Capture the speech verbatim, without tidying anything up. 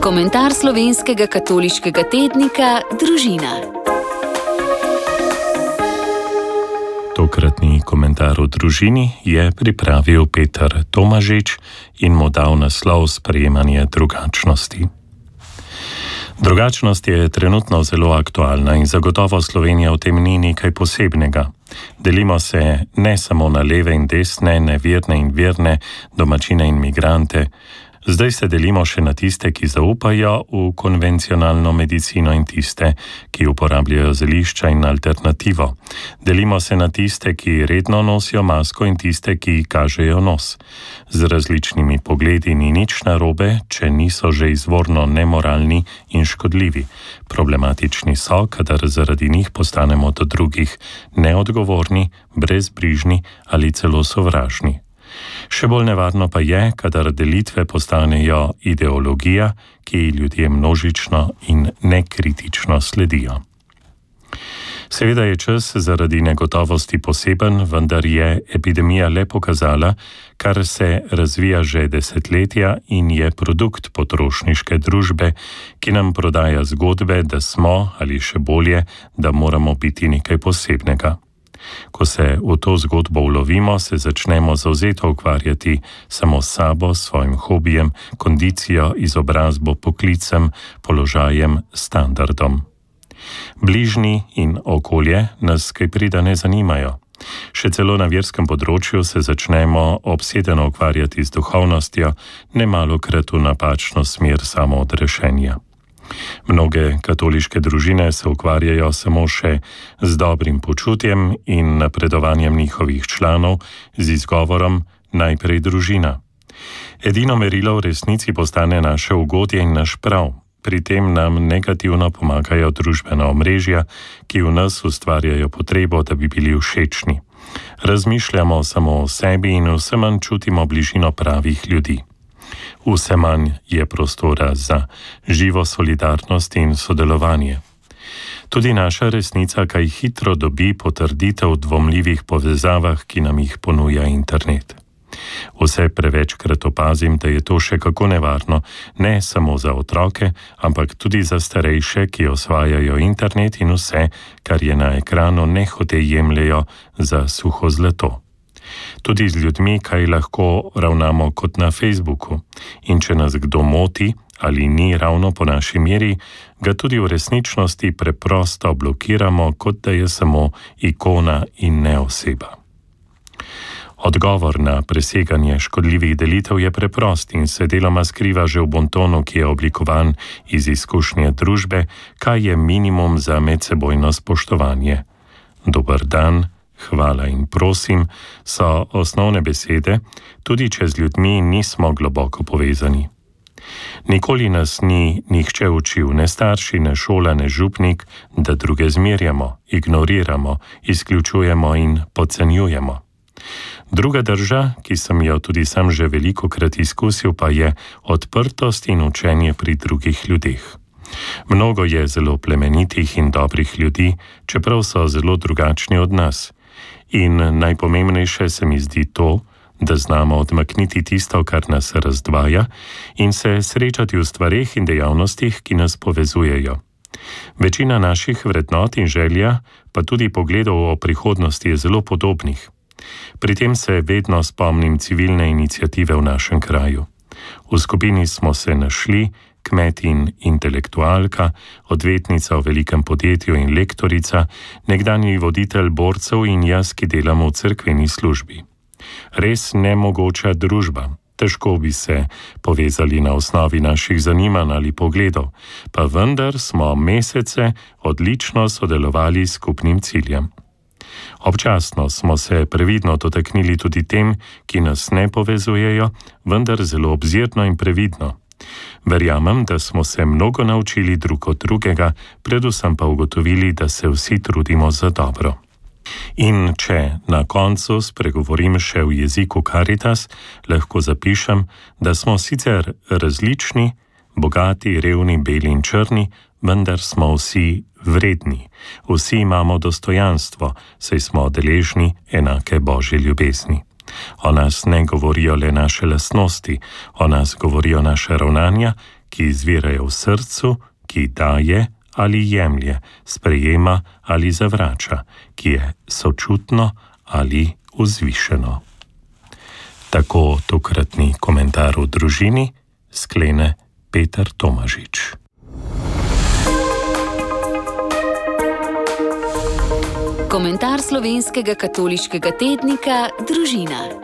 Komentar slovenskega katoliškega tednika Družina. Tokratni komentar o družini je pripravil Peter Tomažič in mu dal naslov Sprejemanje drugačnosti. Drugačnost je trenutno zelo aktualna in zagotovo Slovenija v tem ni nekaj posebnega. Delimo se ne samo na leve in desne, neverne in verne, domačine in migrante. Zdaj se delimo še na tiste, ki zaupajo v konvencionalno medicino in tiste, ki uporabljajo zelišča in alternativo. Delimo se na tiste, ki redno nosijo masko in tiste, ki kažejo nos. Z različnimi pogledi ni nič narobe, če niso že izvorno nemoralni in škodljivi. Problematični so, kadar zaradi njih postanemo do drugih neodgovorni, brezbrižni ali celo sovražni. Še bolj nevarno pa je, kadar delitve postanejo ideologija, ki ljudje množično in nekritično sledijo. Seveda je čas zaradi negotovosti poseben, vendar je epidemija le pokazala, kar se razvija že desetletja in je produkt potrošniške družbe, ki nam prodaja zgodbe, da smo, ali še bolje, da moramo biti nekaj posebnega. Ko se v to zgodbo ulovimo, se začnemo zavzeto ukvarjati samo s sabo, svojim hobijem, kondicijo, izobrazbo, poklicem, položajem, standardom. Bližnji in okolje nas kaj prida ne zanimajo. Še celo na verskem področju se začnemo obsedeno ukvarjati z duhovnostjo, nemalokrat v napačno smer samoodrešenja. Mnoge katoliške družine se ukvarjajo samo še z dobrim počutjem in napredovanjem njihovih članov z izgovorom najprej družina. Edino merilo v resnici postane naše ugodje in naš prav. Pri tem nam negativno pomagajo družbena omrežja, ki v nas ustvarjajo potrebo, da bi bili všečni. Razmišljamo samo o sebi in vse manj čutimo bližino pravih ljudi. Vse manj je prostora za živo solidarnost in sodelovanje. Tudi naša resnica kaj hitro dobi potrditev v dvomljivih povezavah, ki nam jih ponuja internet. Vse prevečkrat opazim, da je to še kako nevarno, ne samo za otroke, ampak tudi za starejše, ki osvajajo internet in vse, kar je na ekranu, nehote jemljejo za suho zlato. Tudi z ljudmi, kaj lahko ravnamo kot na Facebooku. In če nas kdo moti ali ni ravno po naši meri, ga tudi v resničnosti preprosto blokiramo, kot da je samo ikona in ne oseba. Odgovor na preseganje škodljivih delitev je preprost in se deloma skriva že v bontonu, ki je oblikovan iz izkušnje družbe, kaj je minimum za medsebojno spoštovanje. Dober dan, hvala in prosim so osnovne besede, tudi če z ljudmi nismo globoko povezani. Nikoli nas ni nihče učil, ne starši, ne šola, ne župnik, da druge zmerjamo, ignoriramo, izključujemo in podcenjujemo. Druga drža, ki sem jo tudi sam že velikokrat izkusil, pa je odprtost in učenje pri drugih ljudeh. Mnogo je zelo plemenitih in dobrih ljudi, čeprav so zelo drugačni od nas. In najpomembnejše se mi zdi to, da znamo odmakniti tisto, kar nas razdvaja, in se srečati v stvareh in dejavnostih, ki nas povezujejo. Večina naših vrednot in želja, pa tudi pogledov o prihodnosti je zelo podobnih. Pri tem se vedno spomnim civilne iniciative v našem kraju. V skupini smo se našli, kmet in intelektualka, odvetnica v velikem podjetju in lektorica, nekdanji voditelj borcev in jaz, ki delamo v cerkveni službi. Res nemogoča družba. Težko bi se povezali na osnovi naših zanimanj ali pogledov, pa vendar smo mesece odlično sodelovali s skupnim ciljem. Občasno smo se previdno dotaknili tudi tem, ki nas ne povezujejo, vendar zelo obzirno in previdno. Verjamem, da smo se mnogo naučili drug od drugega, predvsem pa ugotovili, da se vsi trudimo za dobro. In če na koncu spregovorim še v jeziku Caritas, lahko zapišem, da smo sicer različni, bogati, revni, beli in črni, vendar smo vsi vredni. Vsi imamo dostojanstvo, saj smo deležni enake Božje ljubezni. O nas ne govorijo le naše lastnosti, o nas govorijo naše ravnanja, ki izvirajo v srcu, ki daje ali jemlje, sprejema ali zavrača, ki je sočutno ali vzvišeno. Tako tokratni komentar v družini sklene Peter Tomažič. Komentar slovenskega katoliškega tednika Družina.